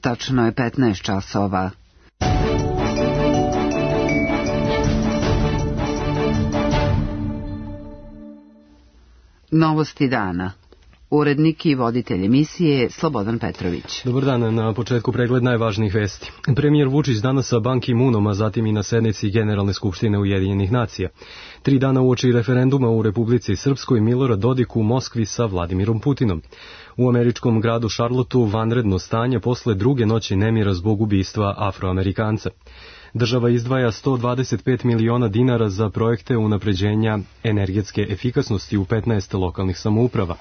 Tačno je 15 časova. Novosti dana. Urednik i voditelj emisije je Slobodan Petrović. Dobar dan, na početku pregled najvažnijih vesti. Premijer Vučić danas sa Ban Ki-moonom, a zatim i na sednici Generalne skupštine Ujedinjenih nacija. 3 dana uoči referenduma u Republici Srpskoj, Milorad Dodik u Moskvi sa Vladimirom Putinom. U američkom gradu Charlotteu vanredno stanje posle druge noći nemira zbog ubistva Afroamerikanca. Država izdvaja 125 miliona dinara za projekte unapređenja energetske efikasnosti u 15 lokalnih samouprava.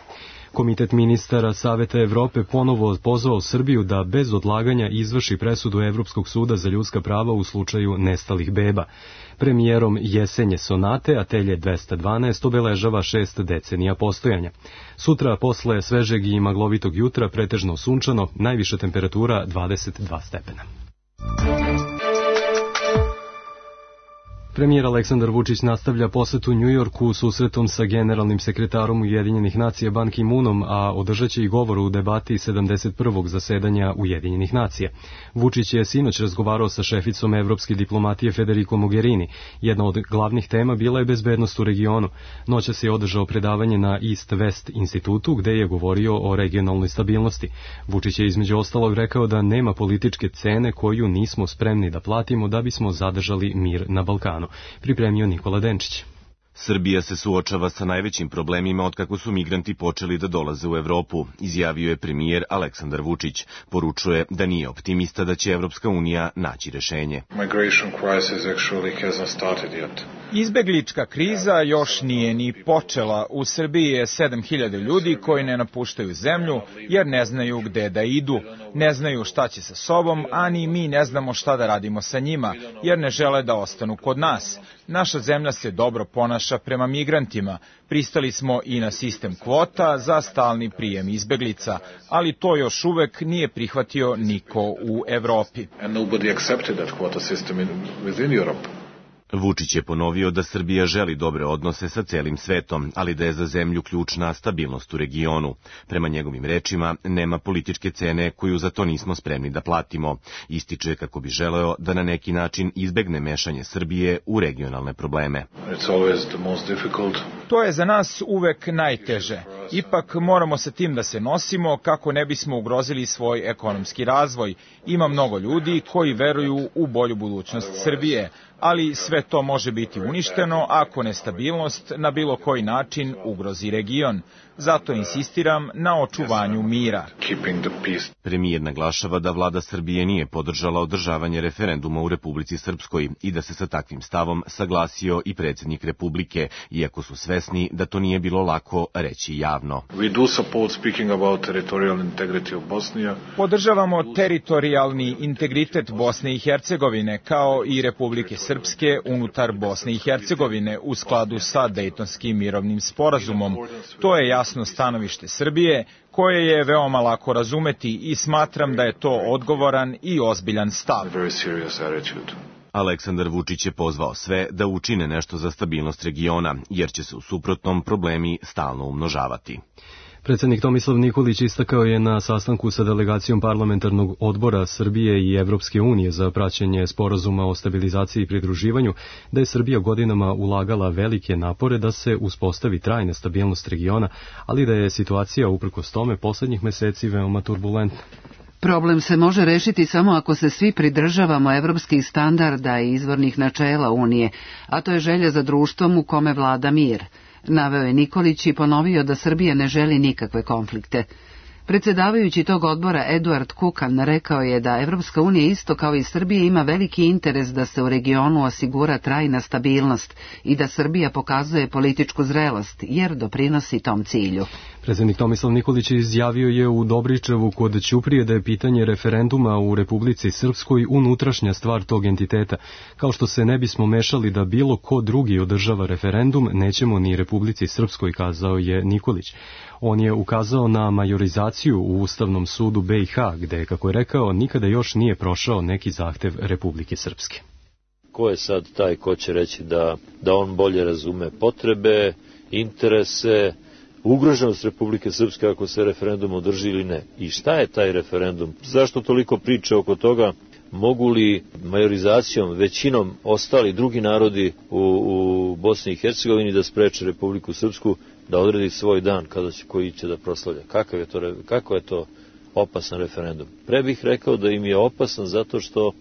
Komitet ministara Saveta Evrope ponovo pozvao Srbiju da bez odlaganja izvrši presudu Evropskog suda za ljudska prava u slučaju nestalih beba. Premijerom Jesenje Sonate, Atelje 212, obeležava 6 decenija postojanja. Sutra, posle svežeg i maglovitog jutra, pretežno sunčano, najviša temperatura 22 stepena. Premijer Aleksandar Vučić nastavlja posetu Njujorku susretom sa generalnim sekretarom Ujedinjenih nacija Ban Ki-moonom, a održaće i govor u debati 71. zasedanja Ujedinjenih nacija. Vučić je sinoć razgovarao sa šeficom evropske diplomatije Federico Mogherini. Jedna od glavnih tema bila je bezbednost u regionu. Noćas je održao predavanje na East West institutu, gde je govorio o regionalnoj stabilnosti. Vučić je između ostalog rekao da nema političke cene koju nismo spremni da platimo da bismo zadržali mir na Balkanu. Pripremio Nikola Denčić. Srbija se suočava sa najvećim problemima otkako su migranti počeli da dolaze u Evropu, izjavio je premijer Aleksandar Vučić. Poručuje da nije optimista da će Evropska unija naći rešenje. Izbeglička kriza još nije ni počela. U Srbiji je 7000 ljudi koji ne napuštaju zemlju jer ne znaju gde da idu, ne znaju šta će sa sobom, a ni mi ne znamo šta da radimo sa njima jer ne žele da ostanu kod nas. Naša zemlja se dobro ponaša prema migrantima. Pristali smo i na sistem kvota za stalni prijem izbeglica, ali to još uvek nije prihvatio niko u Evropi. Vučić je ponovio da Srbija želi dobre odnose sa celim svetom, ali da je za zemlju ključna stabilnost u regionu. Prema njegovim rečima, nema političke cene koju za to nismo spremni da platimo. Ističe kako bi želeo da na neki način izbegne mešanje Srbije u regionalne probleme. To je za nas uvek najteže. Ipak moramo sa tim da se nosimo kako ne bismo ugrozili svoj ekonomski razvoj. Ima mnogo ljudi koji veruju u bolju budućnost Srbije, ali sve to može biti uništeno ako nestabilnost na bilo koji način ugrozi region. Zato insistiram na očuvanju mira. Premijer naglašava da vlada Srbije nije podržala održavanje referenduma u Republici Srpskoj i da se sa takvim stavom saglasio i predsjednik Republike, iako su svesni da to nije bilo lako reći javno. Podržavamo teritorijalni integritet Bosne i Hercegovine kao i Republike Srpske unutar Bosne i Hercegovine u skladu sa Dejtonskim mirovnim sporazumom. To je jasno stanovište Srbije, koje je veoma lako razumeti i smatram da je to odgovoran i ozbiljan stav. Aleksandar Vučić je pozvao sve da učine nešto za stabilnost regiona, jer će se u suprotnom problemi stalno umnožavati. Predsjednik Tomislav Nikolić istakao je na sastanku sa delegacijom parlamentarnog odbora Srbije i Evropske unije za praćenje sporazuma o stabilizaciji i pridruživanju da je Srbija godinama ulagala velike napore da se uspostavi trajna stabilnost regiona, ali da je situacija uprkos tome poslednjih meseci veoma turbulentna. Problem se može rešiti samo ako se svi pridržavamo evropskih standarda i izvornih načela Unije, a to je želja za društvom u kome vlada mir. Naveo je Nikolić i ponovio da Srbija ne želi nikakve konflikte. Predsjedavajući tog odbora Eduard Kukan rekao je da Evropska unija isto kao i Srbija ima veliki interes da se u regionu osigura trajna stabilnost i da Srbija pokazuje političku zrelost jer doprinosi tom cilju. Predsjednik Tomislav Nikolić izjavio je u Dobričevu kod Ćuprije da je pitanje referenduma u Republici Srpskoj unutrašnja stvar tog entiteta. Kao što se ne bismo mešali da bilo ko drugi održava referendum, nećemo ni Republici Srpskoj, kazao je Nikolić. On je ukazao na majorizaciju u Ustavnom sudu BiH, gde, kako je rekao, nikada još nije prošao neki zahtev Republike Srpske. Ko je sad taj ko će reći da on bolje razume potrebe, interese, ugroženost Republike Srpske ako se referendum održi ili ne. I šta je taj referendum? Zašto toliko priče oko toga? Mogu li majorizacijom, većinom ostali drugi narodi u Bosni i Hercegovini da spreče Republiku Srpsku da odredi svoj dan kada će koji će da proslavlja? Kako je to opasan referendum? Pre bih rekao da im je opasan zato što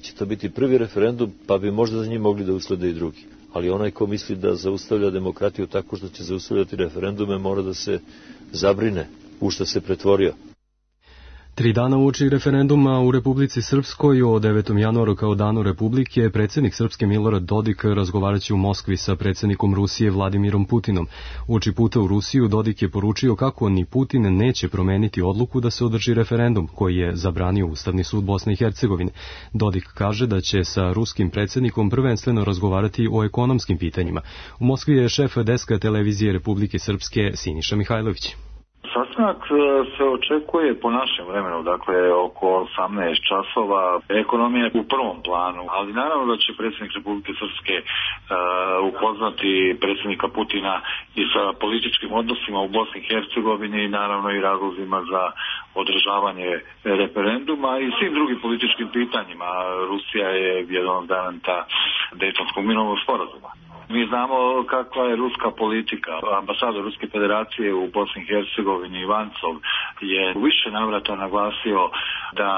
će to biti prvi referendum, pa bi možda za njim mogli da uslede i drugi. Ali onaj ko misli da zaustavlja demokratiju tako što će zaustavljati referendume mora da se zabrine u što se pretvorio. 3 dana uoči referenduma u Republici Srpskoj o 9. januaru kao danu Republike, predsjednik Srpske Milorad Dodik razgovaraće u Moskvi sa predsjednikom Rusije Vladimirom Putinom. Uoči puta u Rusiju Dodik je poručio kako ni Putin neće promeniti odluku da se održi referendum, koji je zabranio Ustavni sud Bosne i Hercegovine. Dodik kaže da će sa ruskim predsjednikom prvenstveno razgovarati o ekonomskim pitanjima. U Moskvi je šef deska televizije Republike Srpske Siniša Mihajlović. Sastanak se očekuje po našem vremenu, dakle oko 18 časova. Ekonomija je u prvom planu, ali naravno da će predsjednik Republike Srpske upoznati predsjednika Putina i sa političkim odnosima u Bosni i Hercegovini i naravno i razlozima za održavanje referenduma i svim drugim političkim pitanjima. Rusija je jedan od garanta Dejtonskog mirovnog sporazuma. Mi znamo kakva je ruska politika. Ambasador Ruske federacije u Bosni i Hercegovini Ivancov je u više navrata naglasio da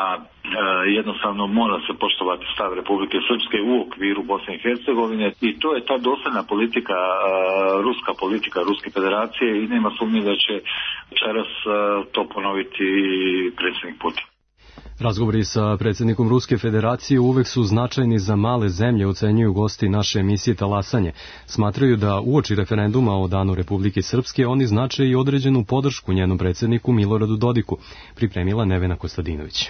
jednostavno mora se poštovati stav Republike Srpske u okviru Bosne i Hercegovine i to je ta dosljedna politika, Ruske federacije i nema sumnje da će večeras to ponoviti predsjednik Putin. Razgovori sa predsjednikom Ruske federacije uvek su značajni za male zemlje, ocenjuju gosti naše emisije Talasanje. Smatraju da uoči referenduma o danu Republike Srpske oni znače i određenu podršku njenom predsjedniku Miloradu Dodiku, pripremila Nevena Kostadinović.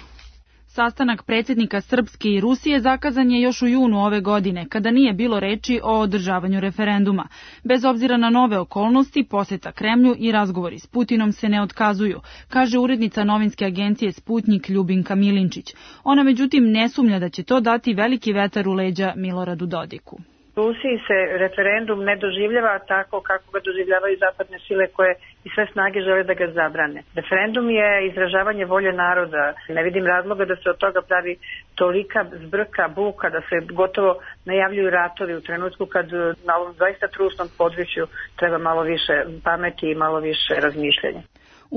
Sastanak predsjednika Srpske i Rusije zakazan je još u junu ove godine, kada nije bilo reči o održavanju referenduma. Bez obzira na nove okolnosti, posjeta Kremlju i razgovori s Putinom se ne otkazuju, kaže urednica novinske agencije Sputnjik Ljubinka Milinčić. Ona međutim ne sumnja da će to dati veliki vetar u leđa Miloradu Dodiku. U Rusiji se referendum ne doživljava tako kako ga doživljavaju zapadne sile koje i sve snage žele da ga zabrane. Referendum je izražavanje volje naroda. Ne vidim razloga da se od toga pravi tolika zbrka, buka, da se gotovo najavljuju ratovi u trenutku kad na ovom zaista trusnom području treba malo više pameti i malo više razmišljanja.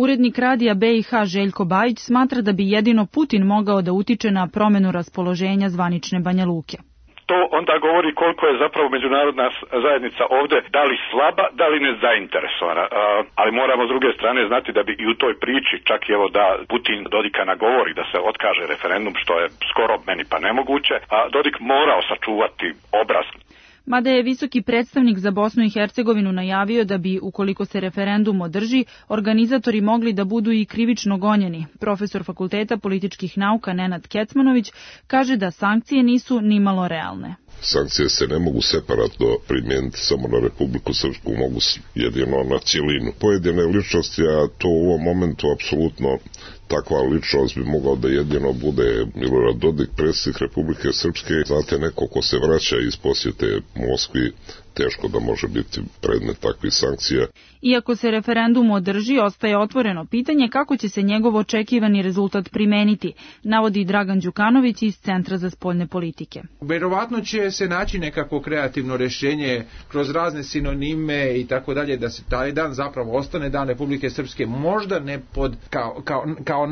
Urednik radija BiH Željko Bajić smatra da bi jedino Putin mogao da utiče na promjenu raspoloženja zvanične Banja Luke. To onda govori koliko je zapravo međunarodna zajednica ovdje da li slaba, da li nezainteresovana. Ali moramo s druge strane znati da bi i u toj priči, čak i evo da Putin Dodika nagovori da se otkaže referendum, što je skoro meni pa nemoguće, a Dodik morao sačuvati obraz. Mada je visoki predstavnik za Bosnu i Hercegovinu najavio da bi, ukoliko se referendum održi, organizatori mogli da budu i krivično gonjeni. Profesor Fakulteta političkih nauka Nenad Kecmanović kaže da sankcije nisu nimalo realne. Sankcije se ne mogu separatno primijeniti samo na Republiku Srpsku, mogu jedino na cijelinu. Pojedine ličnosti, a to u ovom momentu apsolutno takva ličnost bi mogao da jedino bude Milorad Dodik, predsjednik Republike Srpske. Znate, neko ko se vraća iz posjete Moskvi, teško da može biti predmet takvih sankcija. Iako se referendum održi, ostaje otvoreno pitanje kako će se njegov očekivani rezultat primeniti, navodi Dragan Đukanović iz Centra za spoljne politike. Verovatno će se naći nekako kreativno rješenje kroz razne sinonime i tako dalje, da se taj dan zapravo ostane dan Republike Srpske, možda ne kao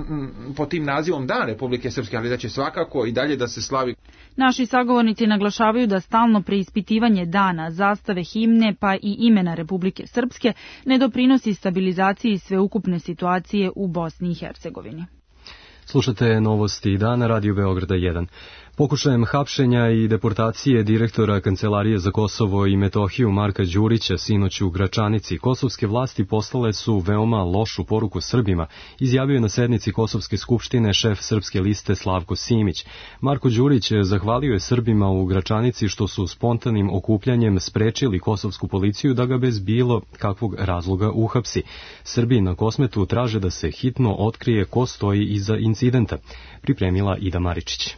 pod tim nazivom Dan Republike Srpske, ali da će svakako i dalje da se slavi. Naši sagovornici naglašavaju da stalno preispitivanje dana, zastave, himne pa i imena Republike Srpske ne doprinosi stabilizaciji sveukupne situacije u Bosni i Hercegovini. Slušate novosti dana Radio Beograda 1. Pokušajem hapšenja i deportacije direktora Kancelarije za Kosovo i Metohiju Marka Đurića sinoć u Gračanici kosovske vlasti poslale su veoma lošu poruku Srbima, izjavio je na sednici Kosovske skupštine šef Srpske liste Slavko Simić. Marko Đurić zahvalio je Srbima u Gračanici što su spontanim okupljanjem sprečili kosovsku policiju da ga bez bilo kakvog razloga uhapsi. Srbi na Kosmetu traže da se hitno otkrije ko stoji iza incidenta, pripremila Ida Maričić.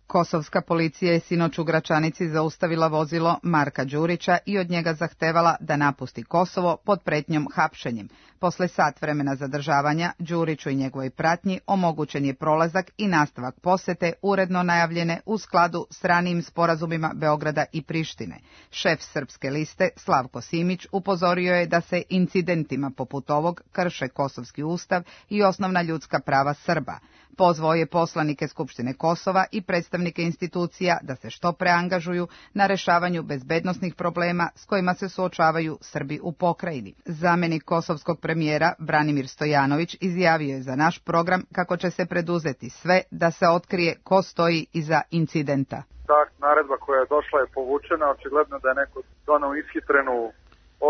Kosovska policija je sinoć u Gračanici zaustavila vozilo Marka Đurića i od njega zahtevala da napusti Kosovo pod pretnjom hapšenjem. Posle sat vremena zadržavanja, Đuriću i njegovoj pratnji omogućen je prolazak i nastavak posete uredno najavljene u skladu s ranijim sporazumima Beograda i Prištine. Šef Srpske liste Slavko Simić upozorio je da se incidentima poput ovog krše kosovski ustav i osnovna ljudska prava Srba. Pozvao je poslanike Skupštine Kosova i predstavnike institucija da se što pre angažuju na rešavanju bezbednosnih problema s kojima se suočavaju Srbi u pokrajini. Zamenik kosovskog premijera Branimir Stojanović izjavio je za naš program kako će se preduzeti sve da se otkrije ko stoji iza incidenta. Ta naredba koja je došla je povučena, očigledno da je neko donao ishitrenu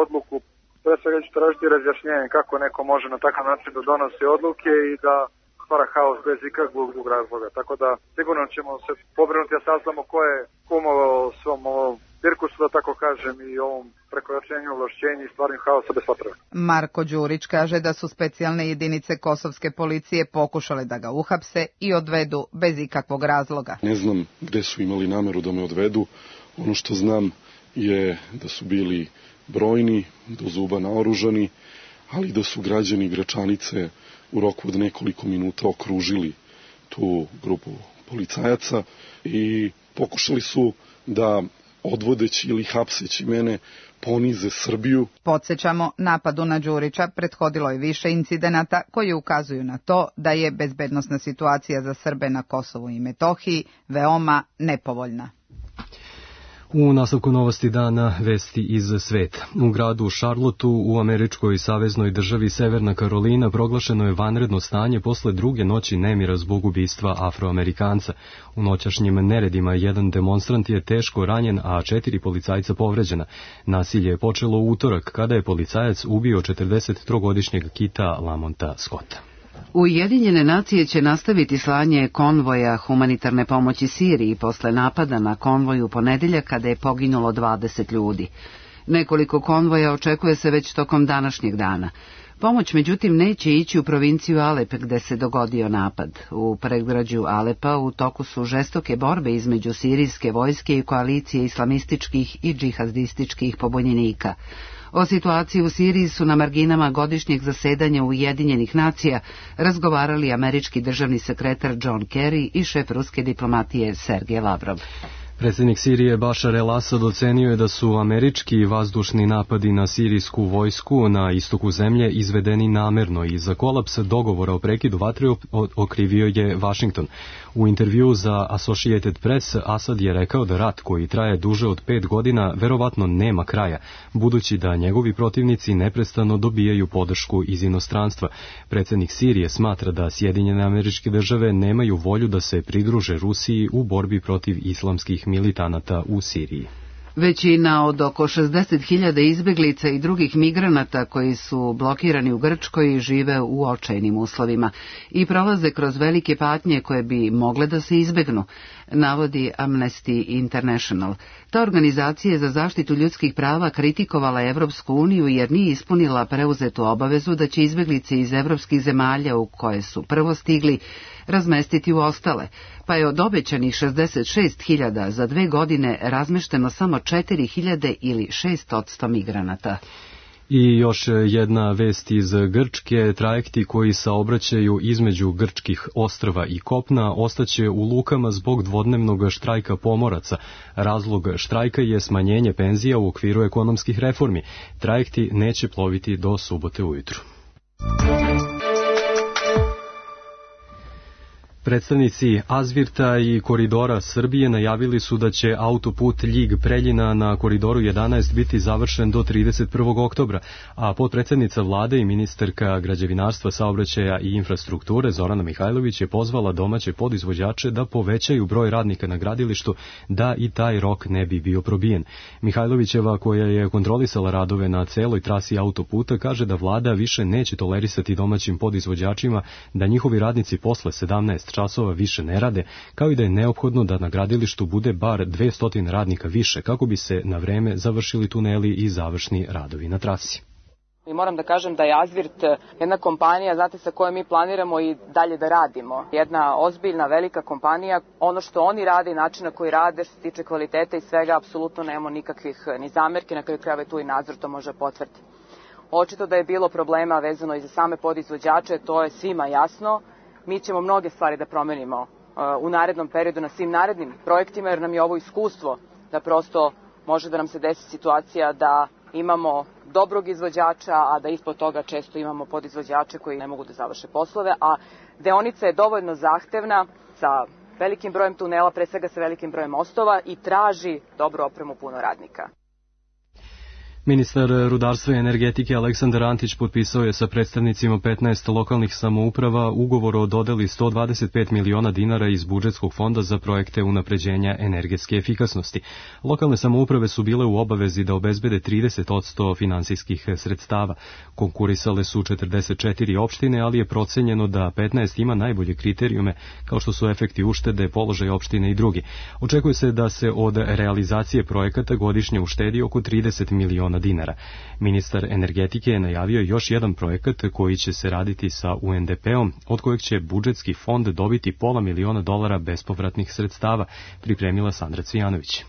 odluku. Pre svega ću tražiti razjašnjenje kako neko može na takav način da donosi odluke i da stvara haos bez ikakvog drugog razloga. Tako da sigurno ćemo se pobrinuti da saznamo ko je kumovao svom ovom cirkusu, da tako kažem, i ovom prekoračenju ovlašćenja i stvarnim haosa bez potrebe. Marko Đurić kaže da su specijalne jedinice kosovske policije pokušale da ga uhapse i odvedu bez ikakvog razloga. Ne znam gde su imali nameru da me odvedu. Ono što znam je da su bili brojni, do zuba naoružani, ali da su građani Gračanice u roku od nekoliko minuta okružili tu grupu policajaca i pokušali su da odvodeći ili hapseći mene ponize Srbiju. Podsjećamo, napadu na Đurića prethodilo je više incidenata koji ukazuju na to da je bezbednosna situacija za Srbe na Kosovu i Metohiji veoma nepovoljna. U nastavku novosti dana vesti iz sveta. U gradu Charlotteu u američkoj saveznoj državi Severna Karolina proglašeno je vanredno stanje posle druge noći nemira zbog ubistva Afroamerikanca. U noćašnjim neredima jedan demonstrant je teško ranjen, a 4 policajca povređena. Nasilje je počelo u utorak kada je policajac ubio 43-godišnjeg Kita Lamonta Scotta. Ujedinjene nacije će nastaviti slanje konvoja humanitarne pomoći Siriji posle napada na konvoj u ponedeljak kada je poginulo 20 ljudi. Nekoliko konvoja očekuje se već tokom današnjeg dana. Pomoć međutim neće ići u provinciju Alep gde se dogodio napad. U predgrađu Alepa u toku su žestoke borbe između sirijske vojske i koalicije islamističkih i džihadističkih pobunjenika. O situaciji u Siriji su na marginama godišnjeg zasedanja Ujedinjenih nacija razgovarali američki državni sekretar John Kerry i šef ruske diplomatije Sergej Lavrov. Predsjednik Sirije Bašar el-Asad ocenio je da su američki vazdušni napadi na sirijsku vojsku na istoku zemlje izvedeni namerno i za kolaps dogovora o prekidu vatre okrivio je Washington. U intervjuu za Associated Press Asad je rekao da rat koji traje duže od 5 godina verovatno nema kraja, budući da njegovi protivnici neprestano dobijaju podršku iz inostranstva. Predsjednik Sirije smatra da Sjedinjene Američke Države nemaju volju da se pridruže Rusiji u borbi protiv islamskih militanata u Siriji. Većina od oko 60.000 izbeglica i drugih migranata koji su blokirani u Grčkoj žive u očajnim uslovima i prolaze kroz velike patnje koje bi mogle da se izbegnu, navodi Amnesty International. Ta organizacija za zaštitu ljudskih prava kritikovala Evropsku uniju jer nije ispunila preuzetu obavezu da će izbeglice iz evropskih zemalja u koje su prvo stigli razmestiti u ostale, pa je od obećanih 66.000 za 2 godine razmešteno samo 4.000 ili 6% migranata. I još jedna vest iz Grčke, trajekti koji saobraćaju između grčkih ostrva i kopna ostaće u lukama zbog dvodnevnog štrajka pomoraca. Razlog štrajka je smanjenje penzija u okviru ekonomskih reformi. Trajekti neće ploviti do subote ujutru. Predstavnici Azvirta i Koridora Srbije najavili su da će autoput Ljig-Preljina na Koridoru 11 biti završen do 31. oktobra, a potpredsjednica vlade i ministarka građevinarstva, saobraćaja i infrastrukture Zorana Mihajlović je pozvala domaće podizvođače da povećaju broj radnika na gradilištu da i taj rok ne bi bio probijen. Mihajlovićeva, koja je kontrolisala radove na celoj trasi autoputa, kaže da vlada više neće tolerisati domaćim podizvođačima da njihovi radnici posle 17 časova više ne rade, kao i da je neophodno da na gradilištu bude bar 200 radnika više kako bi se na vreme završili tuneli i završni radovi na trasi. I moram da kažem da je Azvirt jedna kompanija, znate, sa kojom mi planiramo i dalje da radimo. Jedna ozbiljna, velika kompanija. Ono što oni rade i način na koji rade, što se tiče kvaliteta i svega, apsolutno nemamo nikakvih ni zamerki, na kraju krajeva tu i nadzor to može potvrditi. Očito da je bilo problema vezano i za same podizvođače, to je svima jasno. Mi ćemo mnoge stvari da promenimo u narednom periodu na svim narednim projektima, jer nam je ovo iskustvo da prosto može da nam se desi situacija da imamo dobrog izvođača, a da ispod toga često imamo podizvođače koji ne mogu da završe poslove, a deonica je dovoljno zahtevna sa velikim brojem tunela, pre svega sa velikim brojem mostova i traži dobru opremu, puno radnika. Ministar rudarstva i energetike Aleksandar Antić potpisao je sa predstavnicima 15 lokalnih samouprava ugovor o dodeli 125 miliona dinara iz budžetskog fonda za projekte unapređenja energetske efikasnosti. Lokalne samouprave su bile u obavezi da obezbede 30% finansijskih sredstava. Konkurisale su 44 opštine, ali je procenjeno da 15 ima najbolje kriterijume, kao što su efekti uštede, položaj opštine i drugi. Očekuje se da se od realizacije projekata godišnje uštedi oko 30 miliona dinara. Ministar energetike je najavio još jedan projekat koji će se raditi sa UNDP-om, od kojeg će budžetski fond dobiti $500.000 bespovratnih sredstava, pripremila Sandra Cvijanović.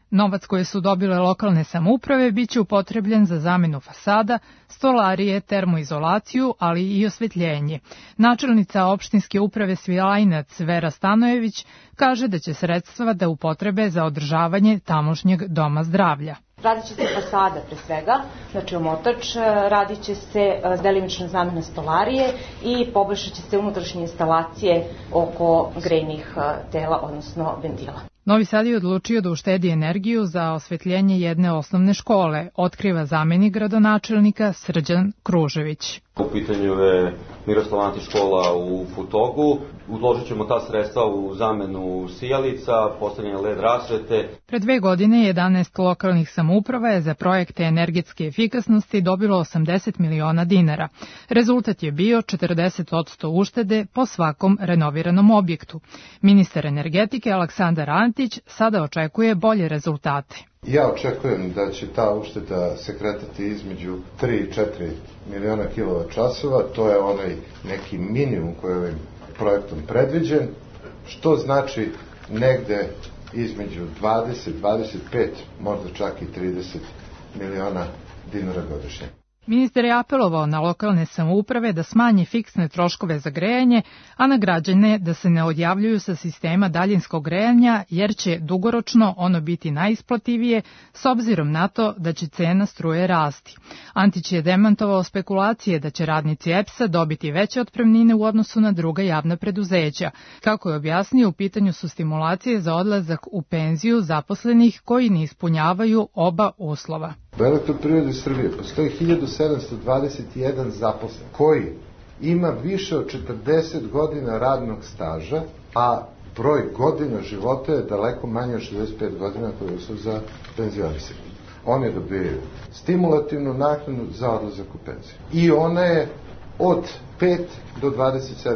Novac koje su dobile lokalne samouprave biće upotrebljen za zamenu fasada, stolarije, termoizolaciju, ali i osvetljenje. Načelnica opštinske uprave Svilajnac Vera Stanojević kaže da će sredstva da upotrebe za održavanje tamošnjeg doma zdravlja. Radit će se fasada pre svega, znači omotač, radit će se delimična zamena stolarije i poboljšat će se unutrašnje instalacije oko grejnih tela, odnosno ventila. Novi Sad je odlučio da uštedi energiju za osvetljenje jedne osnovne škole, otkriva zamenik gradonačelnika Srđan Kružević. U pitanju je Miroslav Antić škola u Futogu. Uložit ćemo ta sredstva u zamenu sijalica, postavljanje LED rasvete. Pre 2 godine 11 lokalnih samouprava je za projekte energetske efikasnosti dobilo 80 miliona dinara. Rezultat je bio 40% uštede po svakom renoviranom objektu. Ministar energetike Aleksandar Antić sada očekuje bolje rezultate. Ja očekujem da će ta ušteda se kretati između 3 i 4 miliona kilovat-časova, to je onaj neki minimum koji je ovim projektom predviđen, što znači negde između 20, 25, možda čak i 30 miliona dinara godišnje. Ministar je apelovao na lokalne samouprave da smanje fiksne troškove za grejanje, a na građane da se ne odjavljuju sa sistema daljinskog grejanja, jer će dugoročno ono biti najisplativije s obzirom na to da će cena struje rasti. Antić je demantovao spekulacije da će radnici EPS-a dobiti veće otpremnine u odnosu na druga javna preduzeća. Kako je objasnio, u pitanju su stimulacije za odlazak u penziju zaposlenih koji ne ispunjavaju oba uslova. U Elektroprivredi Srbije postoji 1721 zaposlen koji ima više od 40 godina radnog staža, a broj godina života je daleko manje od 65 godina koje su za penzionisanje. Oni dobijaju stimulativnu naknadu za odlazak u penziju. I ona je od 5 do 27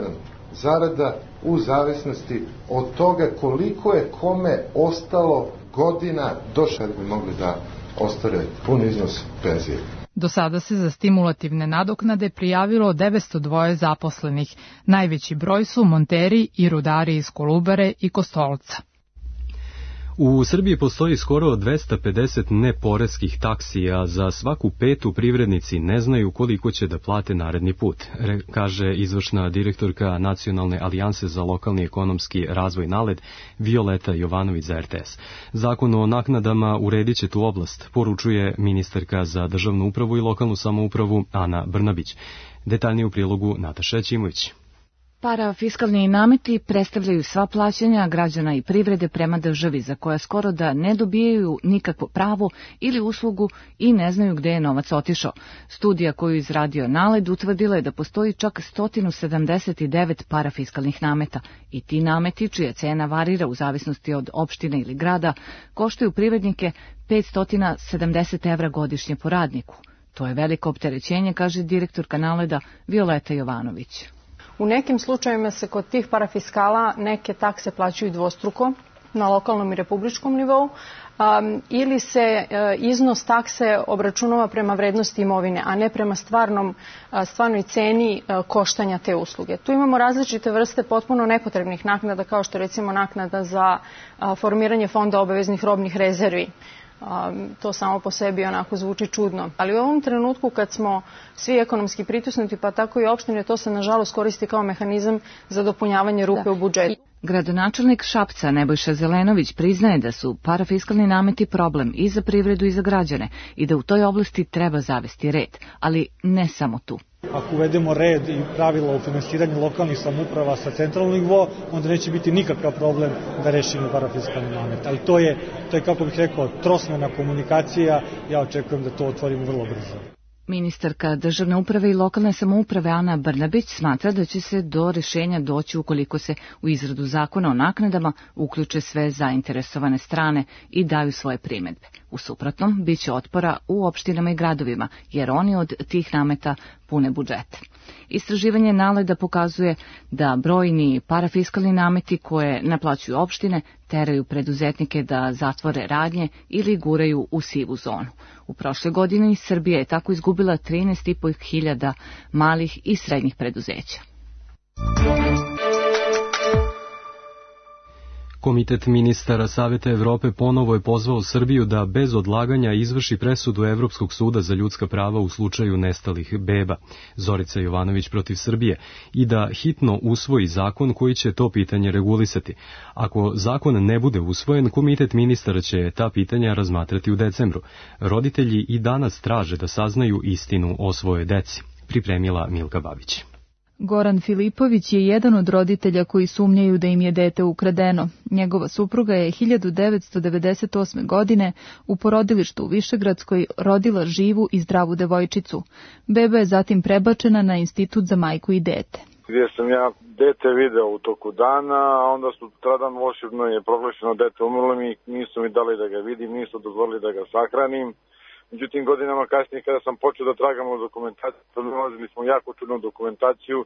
zarada u zavisnosti od toga koliko je kome ostalo godina do kada bi mogli da ostvare pun iznos penzije. Do sada se za stimulativne nadoknade prijavilo 902 zaposlenih. Najveći broj su monteri i rudari iz Kolubare i Kostolca. U Srbiji postoji skoro 250 neporeskih taksi, a za svaku petu privrednici ne znaju koliko će da plate naredni put, kaže izvršna direktorka Nacionalne alijanse za lokalni ekonomski razvoj NALED Violeta Jovanović za RTS. Zakon o naknadama uredit će tu oblast, poručuje ministarka za državnu upravu i lokalnu samoupravu Ana Brnabić. Detaljnije u prilogu Nataša Ćimović. Parafiskalni nameti predstavljaju sva plaćanja građana i privrede prema državi, za koja skoro da ne dobijaju nikakvo pravo ili uslugu i ne znaju gde je novac otišao. Studija koju izradio NALED utvrdila je da postoji čak 179 parafiskalnih nameta i ti nameti, čija cena varira u zavisnosti od opštine ili grada, koštaju privrednike 570 evra godišnje po radniku. To je veliko opterećenje, kaže direktorka NALED-a Violeta Jovanović. U nekim slučajevima se kod tih parafiskala neke takse plaćaju dvostruko, na lokalnom i republičkom nivou, ili se iznos takse obračunava prema vrednosti imovine, a ne prema stvarnoj ceni koštanja te usluge. Tu imamo različite vrste potpuno nepotrebnih naknada, kao što recimo naknada za formiranje fonda obaveznih robnih rezervi. To samo po sebi onako zvuči čudno. Ali u ovom trenutku kad smo svi ekonomski pritisnuti, pa tako i opštine, to se nažalost koristi kao mehanizam za dopunjavanje rupe u budžetu. Gradonačelnik Šapca Nebojša Zelenović priznaje da su parafiskalni nameti problem i za privredu i za građane i da u toj oblasti treba zavesti red, ali ne samo tu. Ako uvedemo red i pravila o finansiranju lokalnih samouprava sa centralnog nivoa, onda neće biti nikakav problem da rešimo parafiskalni namet. Ali to je, kako bih rekao, trosmena komunikacija. Ja očekujem da to otvorimo vrlo brzo. Ministarka državne uprave i lokalne samouprave Ana Brnabić smatra da će se do rešenja doći ukoliko se u izradu zakona o naknadama uključe sve zainteresovane strane i daju svoje primedbe. U suprotnom, bit će otpora u opštinama i gradovima, jer oni od tih nameta pune budžete. Istraživanje NALED-a pokazuje da brojni parafiskalni nameti koje naplaćuju opštine teraju preduzetnike da zatvore radnje ili guraju u sivu zonu. U prošloj godini Srbija je tako izgubila 13.500 malih i srednjih preduzeća. Komitet ministara Saveta Evrope ponovo je pozvao Srbiju da bez odlaganja izvrši presudu Evropskog suda za ljudska prava u slučaju nestalih beba, Zorica Jovanović protiv Srbije, i da hitno usvoji zakon koji će to pitanje regulisati. Ako zakon ne bude usvojen, komitet ministara će ta pitanja razmatrati u decembru. Roditelji i danas traže da saznaju istinu o svojoj deci, pripremila Milka Babić. Goran Filipović je jedan od roditelja koji sumnjaju da im je dete ukradeno. Njegova supruga je 1998. godine u porodilištu u Višegradskoj rodila živu i zdravu devojčicu. Beba je zatim prebačena na Institut za majku i dete. Gdje sam ja dete video u toku dana, a onda sutradan volšebno je proglašeno dete umrlo mi, nisu mi dali da ga vidim, nisu dozvolili da ga sahranim. Međutim, godinama kasnije kada sam počeo da tragamo dokumentaciju, nalazili smo jako čudnu dokumentaciju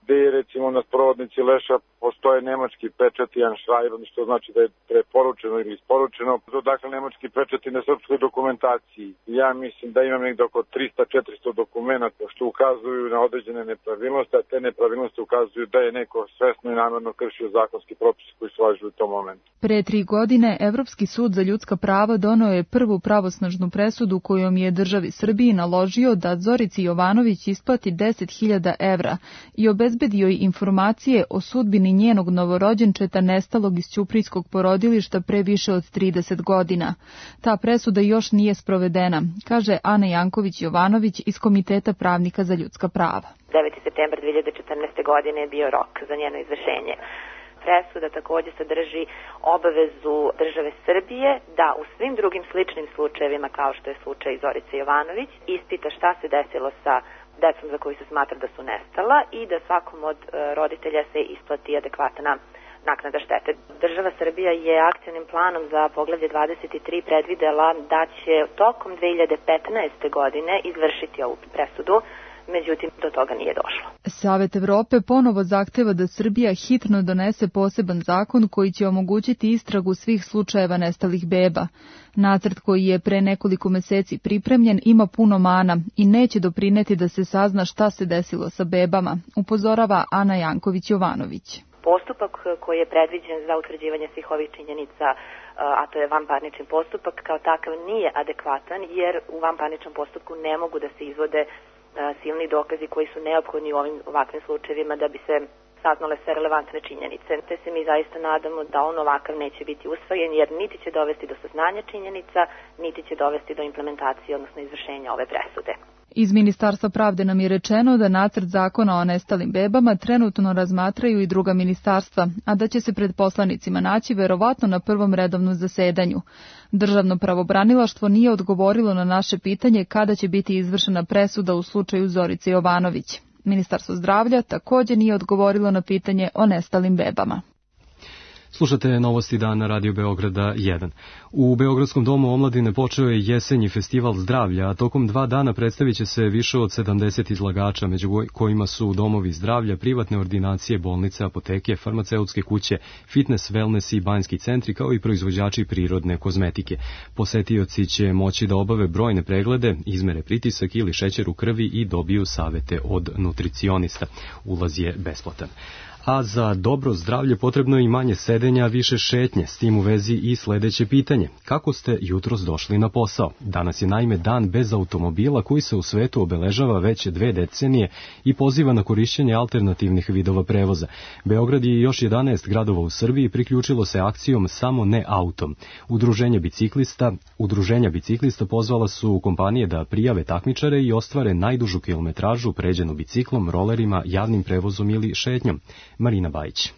gde je recimo na sprovodnici leša postoje nemački pečati Anschreiben, što znači da je preporučeno ili isporučeno. Dakle, nemački pečati na srpskoj dokumentaciji. Ja mislim da imam nekde oko 300-400 dokumenta što ukazuju na određene nepravilnosti, a te nepravilnosti ukazuju da je neko svesno i namerno kršio zakonski propis koji su važili u tom momentu. Pre 3 godine Evropski sud za ljudska prava doneo je prvu pravosnažnu presudu kojom je državi Srbiji naložio da Zorici Jovanović isplati 10.000 evra i obezbedio joj informacije o sudbini njenog novorođenčeta nestalog iz ćuprijskog porodilišta pre više od 30 godina. Ta presuda još nije sprovedena, kaže Ana Janković-Jovanović iz Komiteta pravnika za ljudska prava. 9. septembar 2014. godine je bio rok za njeno izvršenje. Presuda također sadrži obavezu države Srbije da u svim drugim sličnim slučajevima, kao što je slučaj Zorice Jovanović, ispita šta se desilo sa decom za koju se smatra da su nestala i da svakom od roditelja se isplati adekvatna naknada štete. Država Srbija je akcionim planom za poglavlje 23 predvidela da će tokom 2015. godine izvršiti ovu presudu, međutim do toga nije došlo. Savet Evrope ponovo zahteva da Srbija hitno donese poseban zakon koji će omogućiti istragu svih slučajeva nestalih beba. Nacrt koji je pre nekoliko meseci pripremljen ima puno mana i neće doprineti da se sazna šta se desilo sa bebama, upozorava Ana Janković-Jovanović. Postupak koji je predviđen za utvrđivanje svih ovih činjenica, a to je vanparnični postupak, kao takav nije adekvatan jer u vanparničnom postupku ne mogu da se izvode silni dokazi koji su neophodni u ovakvim slučajevima da bi se saznale sve relevantne činjenice. Te se mi zaista nadamo da on ovakav neće biti usvojen jer niti će dovesti do saznanja činjenica, niti će dovesti do implementacije, odnosno izvršenja ove presude. Iz Ministarstva pravde nam je rečeno da nacrt zakona o nestalim bebama trenutno razmatraju i druga ministarstva, a da će se pred poslanicima naći verovatno na prvom redovnom zasedanju. Državno pravobranilaštvo nije odgovorilo na naše pitanje kada će biti izvršena presuda u slučaju Zorice Jovanović. Ministarstvo zdravlja također nije odgovorilo na pitanje o nestalim bebama. Slušate novosti dana Radio Beograda 1. U Beogradskom domu omladine počeo je jesenji festival zdravlja, a tokom 2 dana predstavit će se više od 70 izlagača, među kojima su domovi zdravlja, privatne ordinacije, bolnice, apoteke, farmaceutske kuće, fitness, wellness i banjski centri, kao i proizvođači prirodne kozmetike. Posetioci će moći da obave brojne preglede, izmere pritisak ili šećer u krvi i dobiju savete od nutricionista. Ulaz je besplatan. A za dobro zdravlje potrebno je i manje sedenja, više šetnje. S tim u vezi i sledeće pitanje. Kako ste jutros došli na posao? Danas je naime dan bez automobila koji se u svetu obeležava već 2 decenije i poziva na korišćenje alternativnih vidova prevoza. Beograd i još 11 gradova u Srbiji priključilo se akcijom Samo ne autom. Udruženja biciklista pozvala su kompanije da prijave takmičare i ostvare najdužu kilometražu pređenu biciklom, rolerima, javnim prevozom ili šetnjom. Marina Bajić.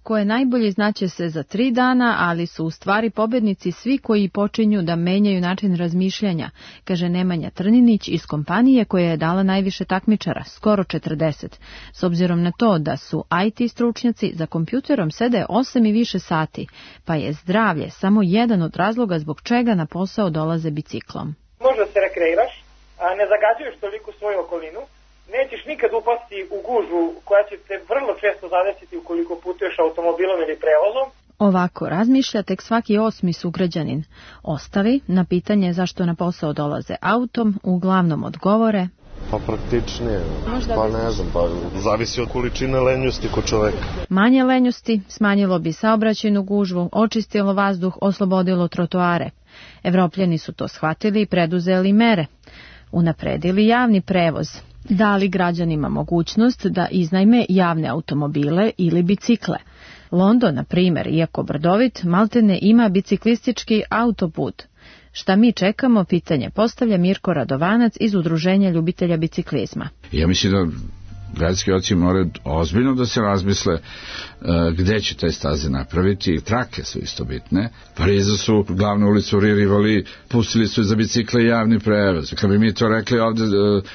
Ko je najbolji znaće se za 3 dana, ali su u stvari pobednici svi koji počinju da menjaju način razmišljanja, kaže Nemanja Trninić iz kompanije koja je dala najviše takmičara, skoro 40. S obzirom na to da su IT stručnjaci, za kompjuterom sede 8 i više sati, pa je zdravlje samo jedan od razloga zbog čega na posao dolaze biciklom. Možda se rekreiraš, a ne zagađuješ toliko svoju okolinu, nećeš nikad upasti u gužvu koja će te vrlo često zadesiti ukoliko putuješ automobilom ili prevozom. Ovako razmišlja tek svaki 8. sugrađanin. Ostali na pitanje zašto na posao dolaze autom uglavnom odgovore: pa praktičnije, pa ne znam, pa zavisi od količine lenjosti kod čoveka. Manje lenjosti smanjilo bi saobraćajnu gužvu, očistilo vazduh, oslobodilo trotoare. Evropljani su to shvatili i preduzeli mere. Unapredili javni prevoz. Dali građanima mogućnost da iznajme javne automobile ili bicikle. London, na primjer, iako brdovit, maltene ima biciklistički autoput. Šta mi čekamo, pitanje postavlja Mirko Radovanac iz Udruženja ljubitelja biciklizma. Ja mislim da gradski oci moraju ozbiljno da se razmisle gde će te staze napraviti. Trake su isto bitne. Parizu su glavnu ulicu Rivali pustili su za bicikle javni prevoz. Kad bi mi to rekli ovde,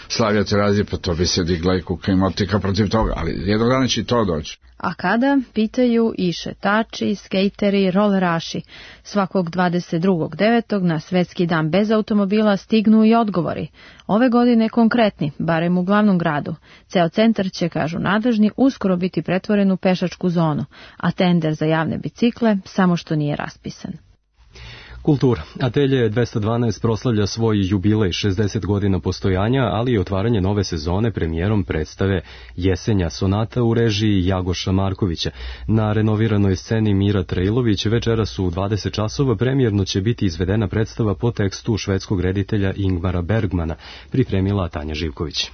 Slavija Terazija, pa to bi se digla i kuka i motika protiv toga, ali jednog dana će i to doći. A kada, pitaju i šetači, skejteri, roleraši. Svakog 22.9. na Svetski dan bez automobila stignu i odgovori. Ove godine konkretni, barem u glavnom gradu. Ceo centar će, kažu nadležni, uskoro biti pretvoren u pešačku zonu, a tender za javne bicikle samo što nije raspisan. Kultura. Atelje 212 proslavlja svoj jubilej 60 godina postojanja, ali i otvaranje nove sezone premijerom predstave Jesenja sonata u režiji Jagoša Markovića. Na renoviranoj sceni Mira Trejlović večeras u 20 časova premijerno će biti izvedena predstava po tekstu švedskog reditelja Ingmara Bergmana, pripremila Tanja Živković.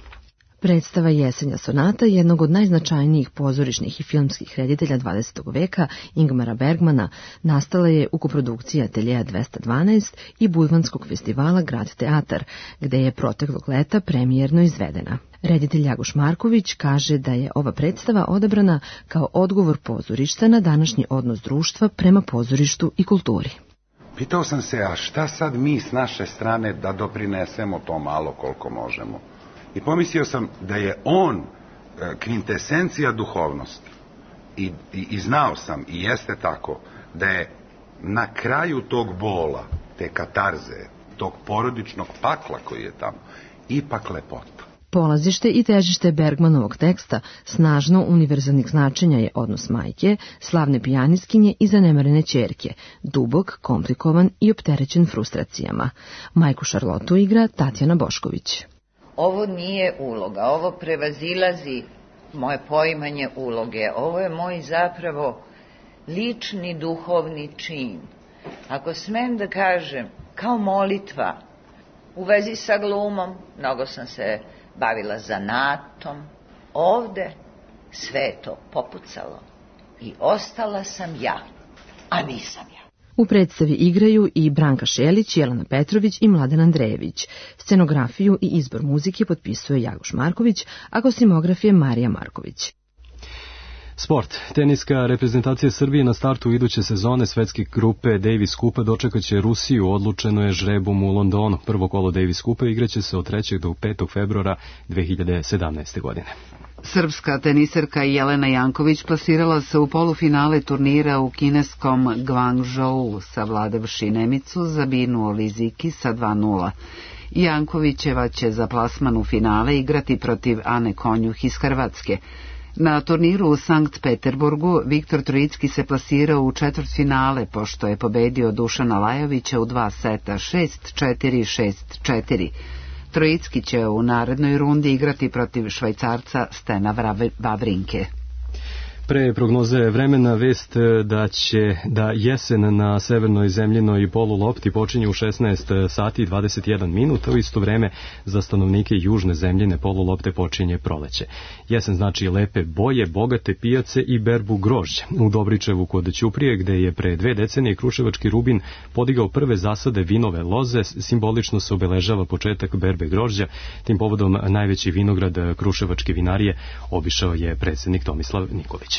Predstava Jesenja sonata, jednog od najznačajnijih pozorišnih i filmskih reditelja 20. veka, Ingmara Bergmana, nastala je u koprodukciji Ateljeja 212 i Budvanskog festivala Grad teatar, gde je proteklog leta premijerno izvedena. Reditelj Jagoš Marković kaže da je ova predstava odabrana kao odgovor pozorišta na današnji odnos društva prema pozorištu i kulturi. Pitao sam se, a šta sad mi s naše strane da doprinesemo to malo koliko možemo? I pomislio sam da je on kvintesencija duhovnosti. I znao sam, i jeste tako, da je na kraju tog bola, te katarze, tog porodičnog pakla koji je tamo, ipak lepota. Polazište i težište Bergmanovog teksta snažno univerzalnih značenja je odnos majke, slavne pijaniskinje i zanemarene ćerke, dubok, komplikovan i opterećen frustracijama. Majku Šarlotu igra Tatjana Bošković. Ovo nije uloga, ovo prevazilazi moje poimanje uloge. Ovo je moj zapravo lični duhovni čin. Ako smem da kažem, kao molitva, u vezi sa glumom, mnogo sam se bavila zanatom. Ovde sve je to popucalo i ostala sam ja, a nisam ja. U predstavi igraju i Branka Šelić, Jelena Petrović i Mladen Andrejević. Scenografiju i izbor muzike potpisuje Jagoš Marković, a kostimograf je Marija Marković. Sport. Teniska reprezentacija Srbije na startu iduće sezone svetske grupe Davis Kupa dočekaće Rusiju, odlučeno je žrebom u Londonu. Prvo kolo Davis Kupa igraće se od 3. do 5. februara 2017. godine. Srpska teniserka Jelena Janković plasirala se u polufinale turnira u kineskom Guangzhou, savladavši Nemicu Zabinu Oliziki sa 2:0. Jankovićeva će za plasman u finale igrati protiv Ane Konjuh iz Hrvatske. Na turniru u Sankt Peterburgu Viktor Trojicki se plasirao u četvrtfinale pošto je pobedio Dušana Lajovića u 2 seta 6-4, 6-4. Trojicki će u narednoj rundi igrati protiv Švajcarca Stena Wawrinke. Pre prognoze vremena vest da jesen na severnoj zemljinoj polulopti počinje u 16 sati i 21 minuta, u isto vreme za stanovnike južne zemljine polulopte počinje proleće. Jesen znači lepe boje, bogate pijace i berbu grožđa. U Dobričevu kod Ćuprije, gde je pre 2 decenije Kruševački Rubin podigao prve zasade vinove loze, simbolično se obeležava početak berbe grožđa. Tim povodom najveći vinograd Kruševačke vinarije obišao je predsjednik Tomislav Nikolić.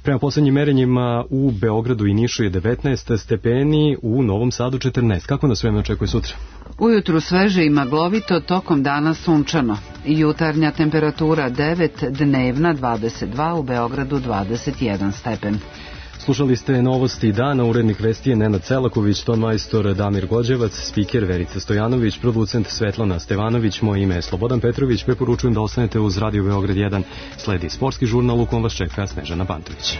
Prema poslednjim merenjima u Beogradu i Nišu je 19 stepeni, u Novom Sadu 14. Kako nas vreme očekuje sutra? Ujutru sveže i maglovito, tokom dana sunčano. Jutarnja temperatura 9, dnevna 22, u Beogradu 21 stepen. Slušali ste novosti dana, urednik vesti je Nenad Celaković, ton majstor Damir Gođevac, spiker Verica Stojanović, producent Svetlana Stevanović, moje ime je Slobodan Petrović, preporučujem da ostanete uz Radio Beograd 1, sledi sportski žurnal u kom vas čeka Snežana Pantović.